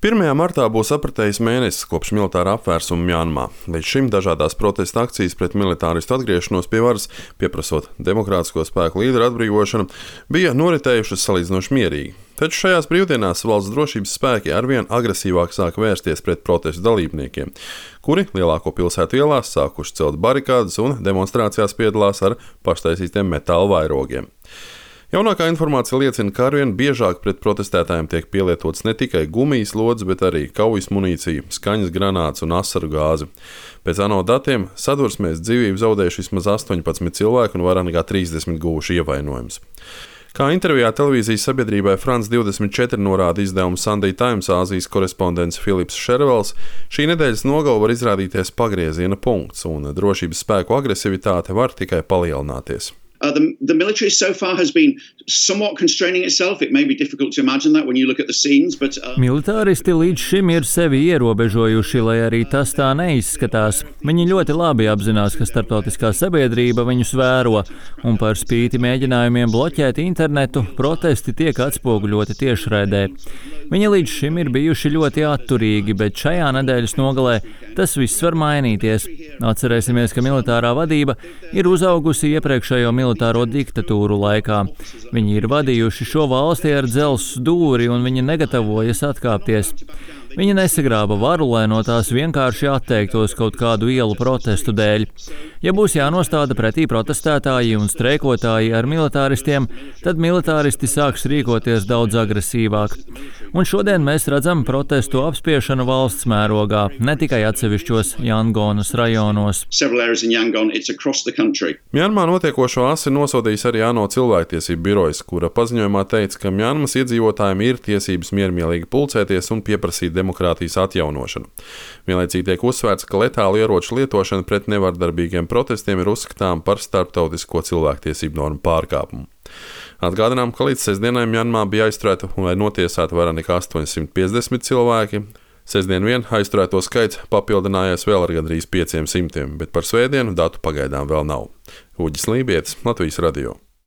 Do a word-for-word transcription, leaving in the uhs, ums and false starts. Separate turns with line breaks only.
pirmajā martā būs apritējis mēnesis kopš militāra apvērsuma Mjanmā. Līdz šim dažādās protesta akcijas pret militāristu atgriešanos pie varas, pieprasot demokrātisko spēku līderu atbrīvošanu, bija noritējušas salīdzinoši mierīgi. Taču šajās brīvdienās valsts drošības spēki arvien agresīvāk sāk vērsties pret protestu dalībniekiem, kuri lielāko pilsētu ielās sākuši celt barikādes un demonstrācijās piedalās ar paštaisītiem metāla vairogiem. Jaunākā informācija liecina, ka arvien biežāk pret protestētājiem tiek pielietots ne tikai gumijas lodes, bet arī kaujas munīcija, skaņas granāts un asaru gāzi. Pēc ANO datiem sadursmēs dzīvību zaudējuši vismaz astoņpadsmit cilvēki un vairāk nekā trīsdesmit guvuši ievainojumus. Kā intervijā televīzijas sabiedrībai France divdesmit četri norāda izdevuma Sunday Times Āzijas korespondents Filips Šervels, šī nedēļas nogale var izrādīties pagrieziena punkts, un drošības spēku agresivitāte var tikai palielināties.
Uh, the, the military so far has been somewhat constraining itself. It may be difficult to imagine that when you look at the scenes, but... Uh...
Militāristi līdz šim ir sevi ierobežojuši, lai arī tas tā neizskatās. Viņi ļoti labi apzinās, ka starptautiskā sabiedrība viņus vēro, un par spīti mēģinājumiem bloķēt internetu, protesti tiek atspoguļoti tiešraidē. Viņi līdz šim ir bijuši ļoti atturīgi, bet šajā nedēļas nogalē tas viss var mainīties. Atcerēsimies, ka militārā vadība ir uzaugusi iepriekšējo militāro diktatūru laikā. Viņi ir vadījuši šo valsti ar dzelzs dūri un viņi negatavojas atkāpties. Viņi nesagrāba varu, lai no tās vienkārši atteiktos kaut kādu ielu protestu dēļ. Ja būs jānostāda pretī protestētāji un streikotāji ar militāristiem, tad militāristi sāks rīkoties daudz agresīvāk. Un šodien mēs redzam protestu apspiešanu valsts mērogā, ne tikai atsevišķos Jangonas rajonos.
Mjanmā notiekošo asi nosodījis arī ANO cilvēktiesību birojas, kura paziņojumā teica, ka Mjanmas iedzīvotājiem ir tiesības miermīlīgi pulcēties un pieprasīt demokrātijas atjaunošanu. Vienlaicīgi tiek uzsvērts, ka letālu ieroču lietošana pret nevardarbīgiem protestiem ir uzskatām par starptautisko cilvēktiesību normu pārkāpumu. Atgādinām, ka līdz sestdienai Mjanmā bija aizturēta un vai notiesāta vairāk nekā astoņsimt piecdesmit cilvēki. Sestdien vien aizturēto skaits papildinājies vēl ar gandrīz pieciem simtiem, bet par svētdienu datu pagaidām vēl nav. Uģis Lībietis, Latvijas radio.